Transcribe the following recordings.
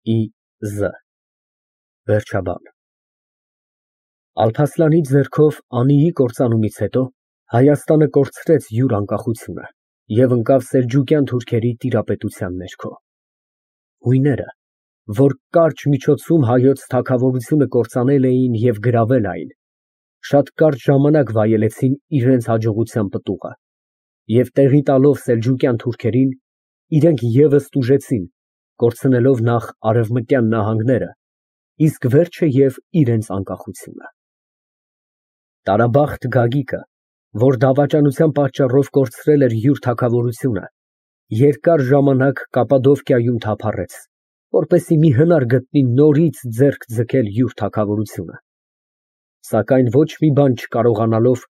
Ի.Զ. Վերջաբան Ալփասլանի ձեռքով Անիի կործանումից հետո Հայաստանը կորցրեց յուր անկախությունը և ընկավ սելջուկյան թուրքերի տիրապետության ներքո։ Հույները, որ կարճ միջոցում հայոց թագավորությունը կործանել էին և գրավել այն, շատ կարճ ժամանակ վայելեցին իրենց հաջողության պտուղը և տեղի տալով սելջուկյան թուրքերին, իրենք ևս տուժեցին, կորցնելով նախ արևմտյան նահանգները, իսկ վերջը և իրենց անկախությունը։ Տարաբախտ Գագիկը, որ դավաճանության պատճառով կորցրել էր յուր թագավորությունը, երկար ժամանակ Կապադովկիայում թափառեց, որպեսզի մի հնար գտնի նորից ձեռք ձգել յուր թագավորությունը, սակայն ոչ մի բան չկարողանալով,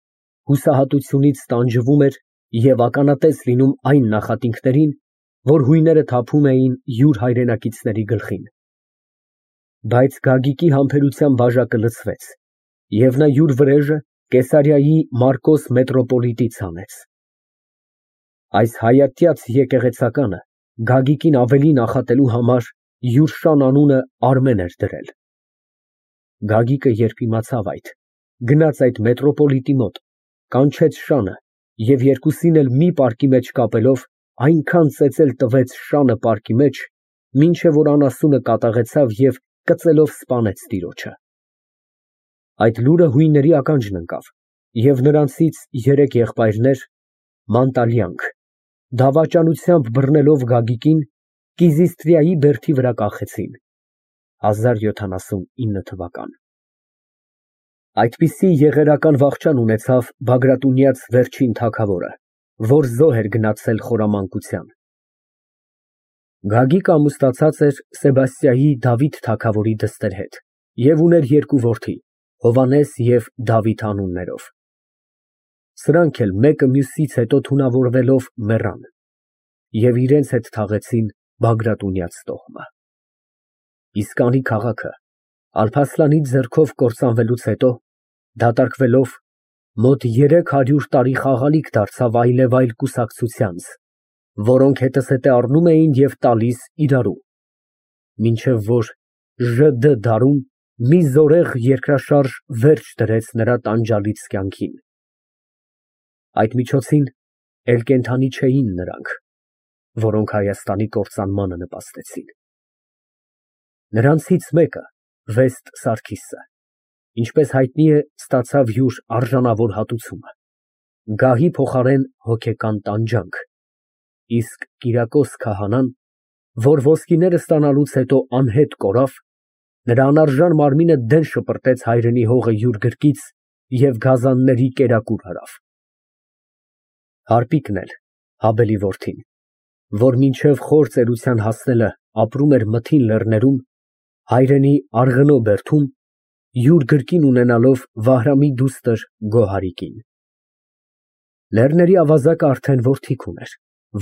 հուսահատությունից տանջվում էր և ականատես լինում այն նախատինքներին, որ հույները թափում էին յուր հայրենակիցների գլխին։ Բայց Գագիկի համբերության բաժակը լցվեց, և նա յուր վրեժը Կեսարիայի Մարկոս մետրոպոլիտից հանեց։ Այս հայատյաց եկեղեցականը Գագիկին ավելի նախատելու համար յուր շան անունը Արմեն էր դրել։ Գագիկը, երբ իմացավ այդ, գնաց այդ մետրոպոլիտի մոտ, կանչեց շանը և երկուսին էլ մի պարկի մեջ կապելով, այնքան ծեծել տվեց շանը պարկի մեջ, մինչև որ անասունը կատաղեցավ և կծելով սպանեց տիրոջը։ Այդ լուրը հույնների ականջն ընկավ, և նրանցից 3 եղբայրներ, մանտալյանք, դավաճանությամբ բռնելով Գագիկին, Կիզիստրիայի բերդի վրա կախեցին 1079 Այդպիսի եղերական վախճան ունեցավ Բագրատունյաց վերջին թագավորը, որ զոհ էր գնացել խորամանկության։ Գագիկը ամուսնացած էր Սեբաստիայի Դավիթ թագավորի դստեր հետ և ուներ 2 որդի՝ Հովհաննես և Դավիթ անուններով։ Սրանք էլ մեկը մյուսից հետո թունավորվելով մեռան և իրենց հետ թաղեցին Բագրատունյաց տոհմը։ Իսկ անի քաղաքը Ալփասլանի ձեռքով կործանվելուց հետո, դատարկվելով, մոտ 300 տարի խաղալիք դարձավ այլևայլ կուսակցությանց, որոնք հետզհետե առնում էին և տալիս իրարու, մինչև որ ԺԴ դարում մի զորեղ երկրաշարժ վերջ դրեց նրա տանջալից կյանքին։ Այդ միջոցին էլ կենդանի չէին նրանք, որոնք Հայաստանի կործանմանը նպաստեցին։ Նրանցից մեկը, Վեստ Սարգիսը, ինչպես հայտնի է, ստացավ յուր արժանավոր հատուցումը՝ գահի փոխարեն հոգեկան տանջանք, իսկ Կիրակոս քահանան, որ ոսկիները ստանալուց հետո անհետ կորավ, նրա անարժան մարմինը դեն շպրտեց հայրենի հողը յուր գրկից և գազանների կերակուր հրավ։ Հարպիկն էլ, Հաբելի որդին, որ մինչև խոր ծերության հասնելը ապրում էր Մթին լեռներում, հայրենի Արգնո բերդում, յուր գրկին ունենալով Վահրամի դուստր Գոհարիկին։ Լեռների ավազակը արդեն որդիք ուներ,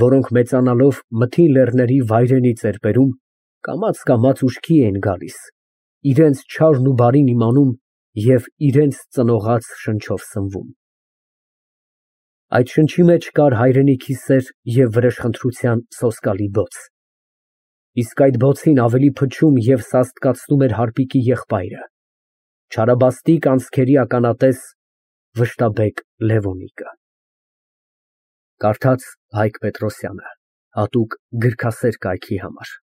որոնք մեծանալով Մթին լեռների վայրենի ծերբերում, կամաց ուշքի էին գալիս, իրենց չարն ու բարին իմանում և իրենց ծնողաց շնչով սնվում։ Այդ շնչի մեջ կար հայրենիքի սեր և վրեժխնդրության սոսկալի բոց, իսկ այդ բոցին ավելի փչում և սաստկացնում էր հարպիկի եղբայրը, չարաբաստիկ անցքերի ականատես Վշտաբեկ Լևոնիկը։ Կարդաց Հայկ Պետրոսյանը, հատուկ գրքասեր կայքի համար։